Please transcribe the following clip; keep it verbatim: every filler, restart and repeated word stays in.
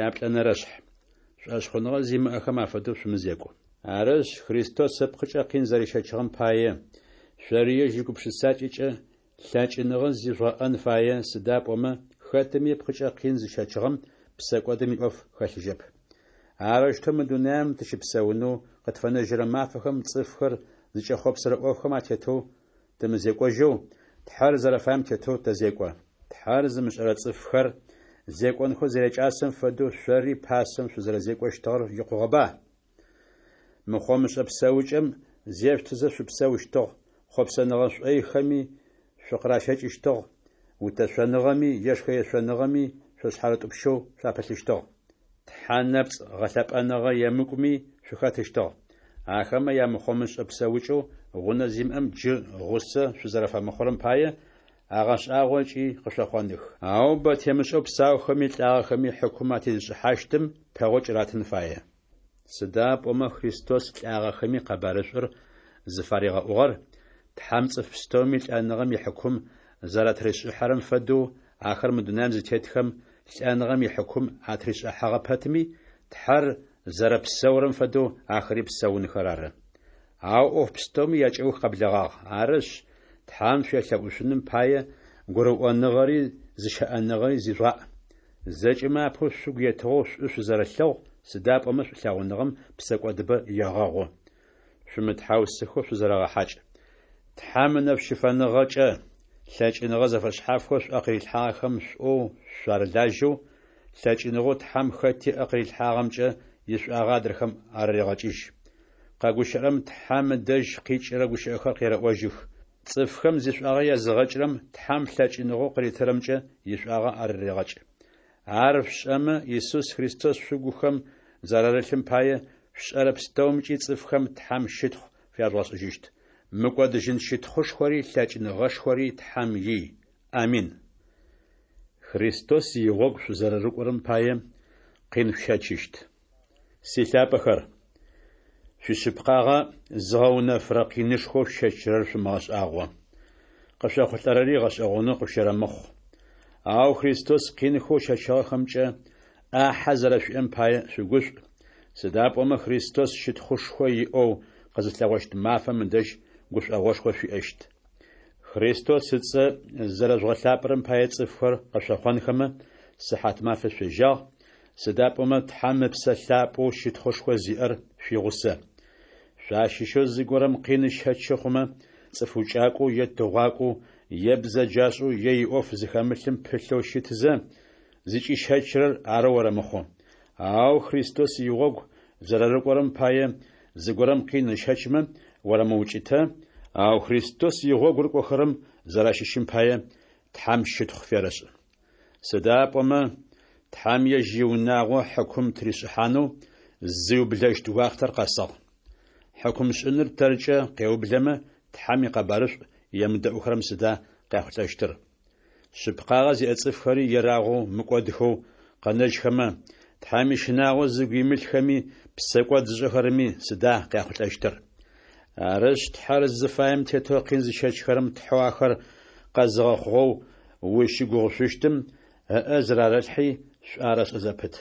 Яплӏэнэрэшъхь. Шӏошъхъуныгъэ зимыӏэхэм афэдэу шъумызекӏу. Арышъ, Христос ыпкъыкӏэ къин зэрищэчыгъэм пае, шъори ежь игупшысакӏэкӏэ лъэкӏыныгъэ зижъугъэӏэн фае, сыда пӏомэ хэтыми ыпкъыкӏэ къин зыщэчыгъэм псэкӏодым иӏоф хэлъыжьэп. Арэущтэу мы дунаем тыщыпсэунэу къытфэнэжьырэ мафэхэм цӏыфхэр зыкӏэхъопсырэ ӏофхэм атетэу тымызекӏожьэу, Тхьэр зэрэфаем тетэу тэзекӏо. Тхьэр зымышӏэрэ цӏыфхэр зекӏонхэу зэрякӏасэм фэдэу шъори пасэм шъузэрэзекӏощтыгъэр икъугъэба? Мыхъомышӏэ псэукӏэм зешъутызэ шъупсэущтыгъ, хъопсэныгъэ шӏойхэми шъукъыращэкӏыщтыгъ, утэшъоныгъэми ешхэ-ешъоныгъэми шъошъхьарытӏупщэу шъуапылъыщтыгъ. Тхьэ нэпцӏ гъэлъэпӏэныгъэ емыкӏуми шъухэтыщтыгъ. Ахэмэ ямыхъомышӏэ псэукӏэу гъунэ зимыӏэм джы гъусэ шъузэрэфэмыхъурэм пае агъэшӏагъо ыкӏи къышъохъоных. Ау бэ темышӏэу псаухэми лӏагъэхэми хьыкум атезышӏыхьащтым пэгъокӏ ратын фае. Сыда пӏомэ Христос лӏагъэхэми къэбарышӏур зыфаригъэӏугъэр, Тхьэм цӏыф пстэуми лӏэныгъэм ихьыкум зэратришӏыхьэрэм фэдэу, ахэр мы дунаем зытетхэм лӏэныгъэм ихьыкум атришӏыхьэгъэ пэтми, Тхьэр зэрэпсэурэм фэдэу ахэри псэунхэр ары. Ау ӏоф пстэуми якӏэух къэблэгъагъ. Арышъ, Тхьэм шъуелъэӏушъуным пае гурыӏоныгъэри зыщыӏэныгъэри зижъугъаӏ. Зэкӏэмэ апэу шъугу етыгъэу шӏу шъузэрэлъэгъу, сыда пӏомэ шӏулъэгъуныгъэм псэкӏодыбэ егъэгъу. Шъумытхьаусхэу шъузэрэгъэхьакӏ. Тхьэм ынэшӏу щыфэныгъэкӏэ лъэкӏыныгъэ зэфэшъхьафхэу шъуӏэ къырилъхьагъэхэм шӏоу шъуарылажьэу, лъэкӏыныгъэу Тхьэм хэти ыӏэ къырилъхьагъэмкӏэ ишӏуагъэ адрэхэм арэрегъэкӏыжь. Къэгущыӏэрэм Тхьэм ыдэжь къикӏырэ гущыӏэхэр къерэӏожьых. Цӏыфхэм зишӏуагъэ языгъэкӏырэм Тхьэм лъэкӏыныгъэу къыритырэмкӏэ ишӏуагъэ арырегъэкӏ. Ар шъушӏэмэ, Исус Христос шъугухэм зэрарылъым пае, шъушӏэрэ пстэумкӏи цӏыфхэм Тхьэм щытхъу фяжъугъэшӏыжьыщт. Мыкӏодыжьын щытхъушхори лъэкӏыныгъэшхори Тхьэм ий. Амин. Христос игъогу шъузэрэрыкӏорэм пае, къин шъущэчыщт. Силъапӏэхэр, шъуишъыпкъагъэ зыгъэунэфырэ къинышхоу шъущэчырэр шъумыгъэшӏагъо. Къышъохъулӏэрэри гъэшӏэгъонэу къышъущэрэмыхъу. Ау Христос къинхэу ыщэчыгъэхэмкӏэ ӏахьэ зэрэшъуиӏэм пае шъугушӏу, сыда пӏомэ Христос щытхъушхо иӏэу къызылъэгъощт мафэм ыдэжь гушӏогъошхо шъуиӏэщт. Христос ыцӏэ зэрэжъугъэлъапӏэрэм пае цӏыфхэр къышъохъонхэмэ, сыхьатмафэ шъуежьагъ, сыда пӏомэ Тхьэм Ыпсэ Лъапӏэу щытхъушхо зиӏэр шъуигъусэ. Шъуащыщэу зыгорэм къин ыщэчы хъумэ, цӏыф укӏакӏоу е тыгъуакӏоу, е бзэджашӏэу, е иӏоф зыхэмылъым пылъэу щытызэ, зыкӏищэчырэр арэу орэмыхъу. Ау Христос игъогу зэрэрыкӏорэм пае зыгорэм къин ыщэчмэ, орэмыукӏытэ, ау Христос игъогу рыкӏохэрэм зэращыщым пае Тхьэм щытхъу ферэшӏ. Сыда пӏомэ Тхьэм ежь иунагъо хьыкум тыришӏыхьанэу зиублэщт уахътэр къэсыгъ. Хьыкумшӏыныр тэркӏэ къеублэмэ, Тхьэм икъэбарышӏу емыдэӏухэрэм сыда къяхъулӏэщтыр? Шъыпкъагъэ зиӏэ цӏыфхэри ерагъэу мыкӏодхэу къэнэжьхэмэ, Тхьэм ищынагъо зыгу имылъхэми псэкӏод зышӏэхэрэми сыда къяхъулӏэщтыр? Арышъ, Тхьэр зыфаем тетэу къин зыщэчхэрэм Тхьэу ахэр къэзыгъэхъугъэу узщыгугъышъущтым ыӏэ зырарэлъхьи, шӏу арэшӏэ зэпыт.